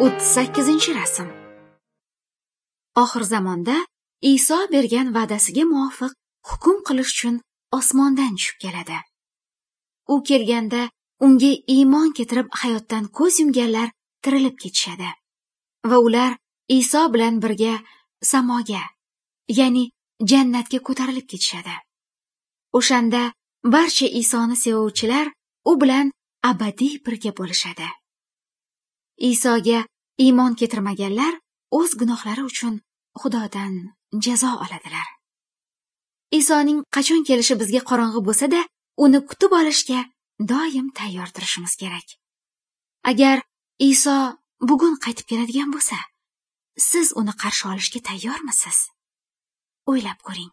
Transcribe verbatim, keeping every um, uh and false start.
O'ttiz sakkizinchi rasm. Oxir zamonda Iso bergan va'dasiga muvofiq hukm qilish uchun osmondan tushib keladi. U kelganda unga iymon keltirib hayotdan ko'z yumganlar tirilib ketishadi va ular Iso bilan birga samoga, ya'ni jannatga ko'tarilib ketishadi. O'shanda barcha Isoni sevuvchilar u bilan abadiy birga bo'lishadi. Isoga iymon keltirmaganlar o'z gunohlari uchun Xudodan jazo oladilar. Isoning qachon kelishi bizga qorong'i bo'lsa-da, uni kutib olishga doim tayyor turishimiz kerak. Agar Iso bugun qaytib keladigan bo'lsa, siz uni qarshi olishga tayyormisiz? O'ylab ko'ring.